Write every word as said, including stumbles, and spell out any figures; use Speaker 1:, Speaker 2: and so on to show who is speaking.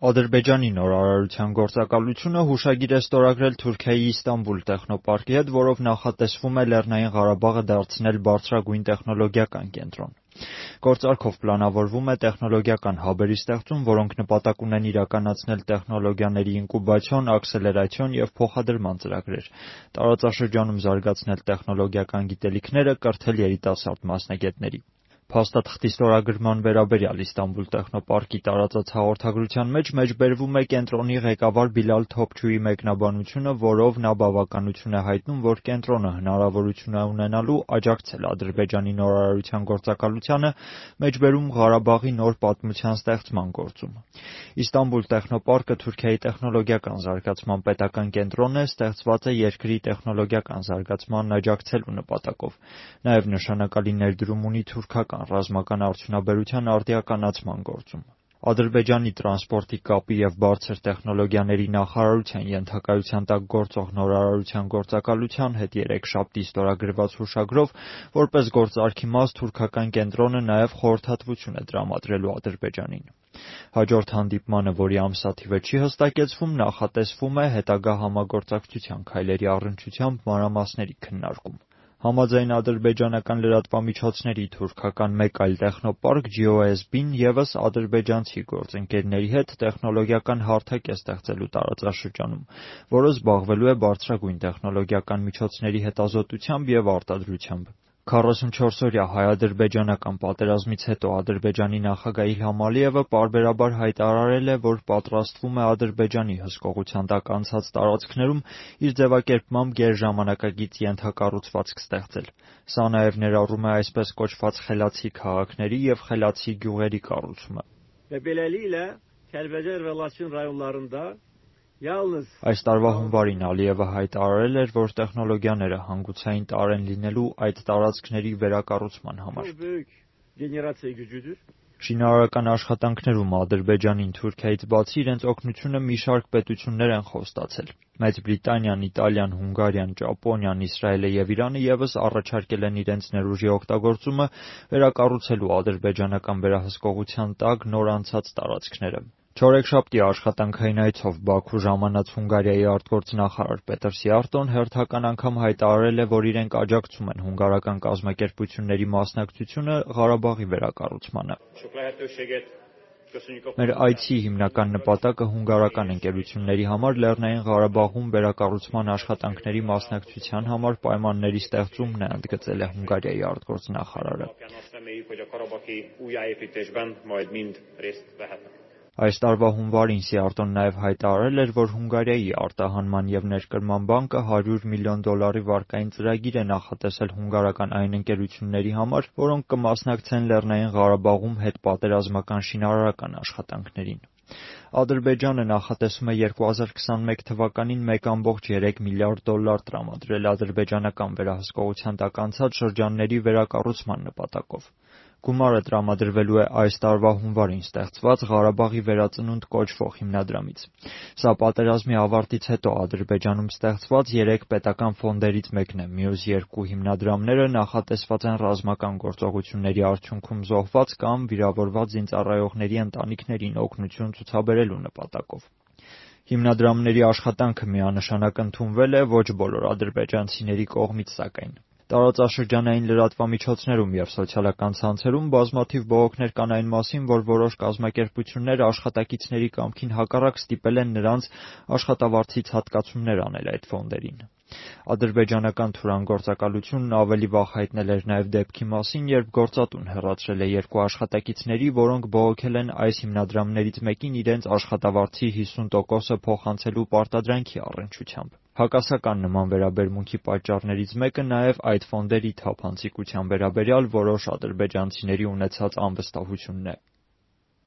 Speaker 1: Ադրբեջանի նորարարության գործակալությունը հուշագիր է ստորագրել Թուրքիայի Իստանբուլ տեխնոպարկի հետ, որով նախատեսվում է Լեռնային Ղարաբաղը դարձնել բարձրագույն տեխնոլոգիական կենտրոն։ Գործարքով պլանավորվում է տեխնոլոգիական հաբերի ստեղծում, որոնք նպատակ ունեն իրականացնել տեխնոլոգիաների ինկուբացիոն, աքսելերացիոն և փոխադրման ծրագրեր, տարածաշրջանում զարգացնել տեխնոլոգիական գիտելիքները, կրթել երիտասարդ մասնագետների։ Փաստաթղթի ստորագրման վերաբերյալ Իստանբուլ տեխնոպարկի տարածած հաղորդագրության մեջ մեջբերվում է կենտրոնի ղեկավար Բիլալ Թոփչուի մեկնաբանությունը, որով նա բավականություն է հայտնում, որ կենտրոնը հնարավորություն է ունենալու աջակցել Ադրբեջանի նորարարության գործակալությանը, մեջբերում Ղարաբաղի նոր պատմության ստեղծման գործում։ Իստանբուլ տեխնոպարկը Թուրքիայի տեխնոլոգիական զարգացման պետական կենտրոնն է, ստեղծված է երկրի տեխնոլոգիական զարգացմանն աջակցելու նպատակով։ Նաև նշանակալի ներդրում ունի թուրքական ռազմական արդյունաբերության արդիականացման գործում։ Ադրբեջանի տրանսպորտի, կապի և բարձր տեխնոլոգիաների նախարարության ենթակայության տակ գործող նորարարության գործակալության հետ երեքշաբթի ստորագրված հուշագրով, որպես գործարքի մաս, թուրքական կենտրոնը նաև խորհրդատվություն է տրամադրելու Ադրբեջանին։ Հաջորդ հանդիպմանը, որի ամսաթիվը չի հստակեցվում, նախատեսվում է հետագա համագործակցության քայլերի առնչությամբ մանրամասների քննարկում։ Համաձայն ադրբեջանական լրատվամիջոցների թուրքական մեկ այլ տեխնոպարկ Ջի Օ Էս Բին ևս ադրբեջանցի գործընկերների հետ տեխնոլոգիական հարթակ է ստեղծելու տարածաշրջանում, որը զբաղվելու է բարձրագույն տեխնոլոգիական միջոցների հետազոտությամբ և արտադրությամբ։ քառասունչորսօրյա հայ-ադրբեջանական պատերազմից հետո Ադրբեջանի նախագահ Իլհամ Ալիևը պարբերաբար հայտարարել է, որ պատրաստվում է Ադրբեջանի հսկողության տակ անցած տարածքներում իր ձևակերպմամբ գերժամանակակից ենթակառուցվածք ստեղծել։ Սա նաև ներառում է այսպես կոչված խելացի քաղաքների և խելացի գյուղերի կառուցումը։ Այս տարվա հունվարին Ալիևը հայտարարել էր, որ տեխնոլոգիաները հանգուցային տարր են լինելու այդ տարածքների վերակառուցման համար։ Շինարարական աշխատանքներում Ադրբեջանին Թուրքիայից բացի իրենց օգնությունը մի շարք պետություններ են խոստացել։ Մեծ Բրիտանիան, Իտալիան, Հունգարիան, Ճապոնիան, Իսրայելը և Իրանը ևս առաջարկել են իրենց ներուժի օգտագործումը վերակառուցելու ադրբեջանական վերահսկողության տակ նոր անցած տարածքները։ Չորեքշաբթի աշխատանքային այցով Բաքու ժամանած Հունգարիայի արտգործնախարար Պետր Սիարտոն հերթական անգամ հայտարարել է, որ իրենք աջակցում են հունգարական կազմակերպությունների մասնակցությունը Ղարաբաղի վերակառուցմանը։ Մեր այցի հիմնական նպատակը հունգարական ընկերությունների համար Լեռնային Ղարաբաղում վերակառուցման աշխատանքների մասնակցության համար պայմանների ստեղծումն է, ընդգծել է Հունգարիայի արտգործնախարարը։ Այս տարվա հունվարին Սիարտոն նաև հայտարարել էր, որ Հունգարիայի արտահանման և ներկրման բանկը հարյուր միլիոն դոլարի վարկային ծրագիր է նախատեսել հունգարական այն ընկերությունների համար, որոնք կմասնակցեն Լեռնային Ղարաբաղում հետպատերազմական շինարարական աշխատանքներին։ Ադրբեջանը նախատեսում է երկու հազար քսանմեկ թվականին մեկ կόμկոմ երեք միլիարդ դոլար տրամադրել ադրբեջանական վերահսկողության տակ անցած շրջանների վերակառուցման նպատակով։ Գումարը տրամադրվելու է այս տարվա հունվարին ստեղծված Ղարաբաղի վերածնունդ կոչվող հիմնադրամից։ Սա պատերազմի ավարտից հետո Ադրբեջանում ստեղծված երեք պետական ֆոնդերից մեկն է։ Մյուս երկու հիմնադրամները նախատեսված են ռազմական գործողությունների արդյունքում զոհված կամ վիրավորված զինծառայողների ընտանիքներին օգնություն ցուցաբերելու նպատակով։ Հիմնադրամների աշխատանքը միանշանակ ընդունվել է ոչ բոլոր ադրբեջանցիների կողմից, սակայն։ Տարածաշրջանային լրատվամիջոցներում և սոցիալական ցանցերում բազմաթիվ բողոքներ կան այն մասին, որ որոշ կազմակերպություններ աշխատակիցների կամքին հակառակ ստիպել են նրանց աշխատավարձից հատկացումներ անել այդ ֆոնդերին։ Ադրբեջանական Թուրան գործակալությունն ավելի վաղ հայտնել էր նաև դեպքի մասին, երբ գործատուն հեռացրել է երկու աշխատակիցների, որոնք բողոքել են այս հիմնադրամներից մեկին իրենց աշխատավարձի հիսուն տոկոսը փոխանցելու պարտադրանքի առնչությամբ։ Հակասական նման վերաբերմունքի պատճառներից մեկը նաև այդ ֆոնդերի թափանցիկության վերաբերյալ որոշ ադրբեջանցիների ունեցած անվստահությունն է։